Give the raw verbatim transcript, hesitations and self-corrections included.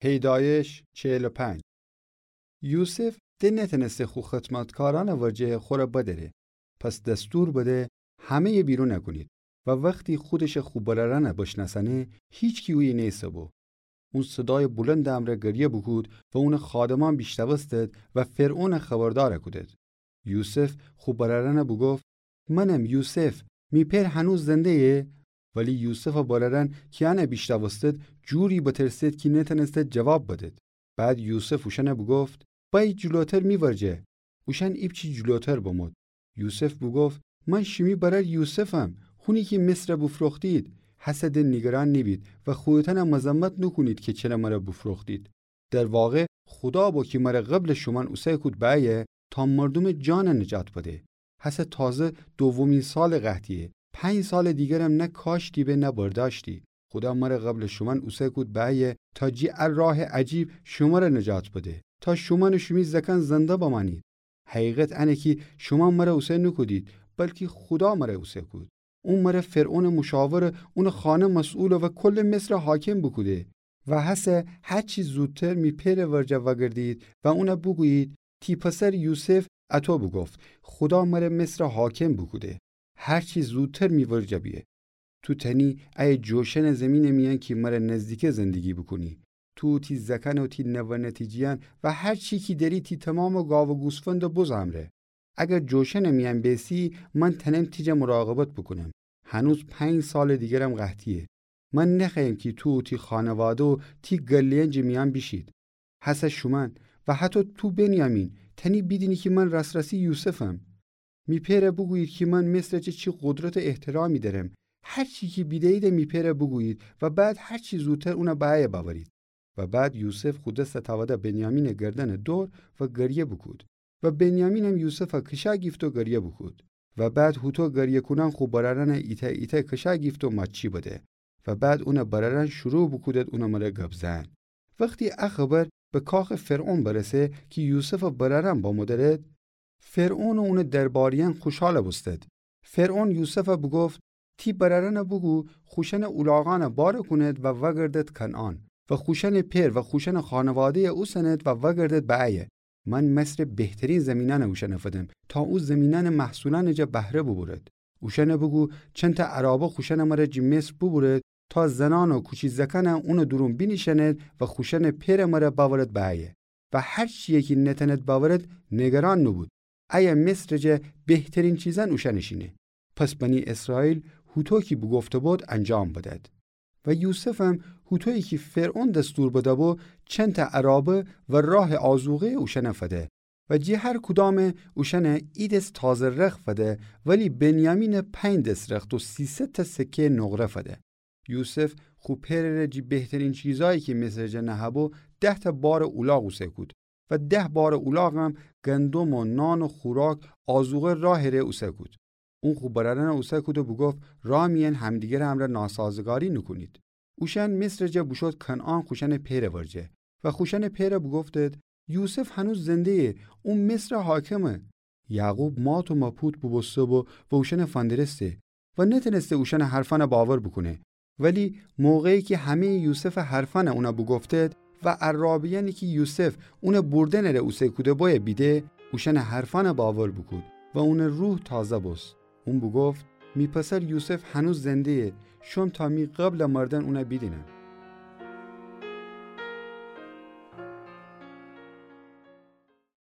هیدایش چهل و پنج. یوسف د نتنسته خو خدمتکارأنٚ ورجه خوره بدأره. پس دستور بده همه‌یه بیرون کونید و وختی خودش خو برأرأن بشنأسأنه، هیچکی اویه نیسه‌بو. اون صدایٚ بلندٚ امرأ گریه بوکود و اونٚ خادمأن بیشنوستد و فرعون خبردار کودد. یوسف خو برأرأن بوگفت: منم یوسف، می پئر هنوز زنده‌یه؟ ولی یوسفٚ برأرأن کی انه بیشنوستد، جوری بترسد کی نتنستد جواب بدد. بعد یوسف اوشأن بوگفت: بأیید جلوتر می ورجه. اوشأن ایپچی جلوتر بمود. یوسف بوگفت: من شیمی برأر یوسفم، هونی کی مصر بوفروختید. هسه د نیگران نیبید و خودتأن مذمت نوکونید کی چره مر بوفروختید. در واقع خودا بو کی مر قبلٚ شومأن اوسه کود بأیه تا مردومٚ جان نجات بده. هسه تازه دومی سالٚ قحطیه. پنج سالٚ دیگرم نه کاشتی به نه برداشتی. خودا مر قبلٚ شومأن اوسه کود بأیه تا جی ا راه عجیب شومر نجات بده تا شومأن و شیمی زکأن زنده بمأنید. حقیقت انه کی شومأن مر اوسه نوکودید، بلکی خودا مر اوسه کود. اون مر فرعونٚ مشاور، اونٚ خانه مسئول و کلٚ مصر حاکم بوکوده. و هسه هرچی زودتر می پئرٚ ورجه وأگردید و اون بوگویید: تی پسر یوسف اطو بوگفت: خودا مر مصر حاکم بوکوده. هرچی زودتر می ورجه بیه. تو تأنی ایه جوشنٚ زیمینٚ میأن کی مر نزدیکه زندگی بوکونی. تو، تی زکأن و تی نوه نتیجه‌یأن و هرچی کی دأری، تی تومامٚ گاو و گوسفندٚ بز امرأ. اگر جوشنٚ میأن بیسی، من تأنم تی جا مراقبت بوکونم. هنوز پنج سالٚ دیگرم قحطیه. من نخوأیم کی تو و تی خانواده و تی گله‌یأن جٚه میأن بیشید. هسه شومأن و حتی تو بنیامین تأنی بیدینی کی من راس‌راسی یوسفم. می پئر بوگویید کی من مصر جا چی قدرت و احترامی دأرم. هرچی کی بیده‌یید می پئر بوگویید و بعد هرچی زودتر اون بأیه بأورید. و بعد یوسف خو دس تأوده بنیامینٚ گردنٚ دور و گریه بوکود. و بنیامینم یوسف کشا گیفت و گریه بوکود. و بعد هوطو گریه کونأن خو برأرأن ایتأ ایتأ کشا گیفت و ماچی بده. و بعد اونٚ برأرأن شروع بوکودد اونٚ مر گب زئن. وختی ا خبر به کاخٚ فرعون برسه کی یوسفٚ برأرأن بمو دأرد، فرعون و اونٚ درباریأن خوشحال بوستد. فرعون یوسف بوگفت: تی برأرأن بوگو خوشأنٚ اولاغأن بار کونید و وأگردید کنعان و خوشأنٚ پئر و خوشأنٚ خانواده‌ی اوسنید و وأگردید بأیه. من مصرٚ بهترین زیمینأن اوشأن فدم تا او زیمینأنٚ محصولأنٚ جا بهره بوبورد. اوشأن بوگو چنتأ عرابه خوشأنٚ مر جٚه مصر بوبورد تا زنأن و کوچی زکأن اونٚ دورون بینیشأنید و خوشأنٚ پئرٚ مر بأورد بأیه. و هرچیی کی نتأند بأورد نیگران نوبود. ایه مصرٚ جا بهترین چیزأن اوشأنٚ شینه. پس بنی اسرائیل هوطو کی بوگفته بود انجام بدد. و یوسفم هوطویی کی فرعون دستور بده بو، چندتأ عرابه و راه آذوقه‌ی اوشأن فده. و جٚه هر کدام اوشأن ایدس تازه رخت فده، ولی بنیامین پنج دس رخت و سیصد تأ سکه‌ی نقره فده. یوسف خو پئرٚ ره جٚه بهترین چیزأیی کی مصرٚ جا نهه‌بو، ده‌تأ بارٚ اولاغ اوسه کود و ده بارٚ اولاغم گندم و نان و خوراک آذوقه راهٚ ره اوسه کود. اون خو برأرأن اوسه کود و بوگفت: راه میأن همدیگر امرأ ناسازگاری نوکونید. اوشأن مصرٚ جا بوشود کنعان خوشأنٚ پئرٚ ورجه. و خوشأنٚ پئر بوگفتید: یوسف هنوز زنده‌یه، او مصرٚ حاکمه. یعقوب مات و مپوت بوبوسته بو و اوشأن فندرسته و نتأنسته اوشأنٚ حرفأن باور بوکونه. ولی موقعی کی همه‌یٚ یوسفٚ حرفأن اون بوگفتید و عرابه‌یأنی کی یوسف اون بردنٚ ره اوسه کوده بویه بیده، اوشأنٚ حرفأن باور بوکود و اونٚ روح تازه بوست. اون بوگفت: می پسر یوسف هنوز زنده‌یه، شوم تا می قبلٚ مردن اون بیدینم.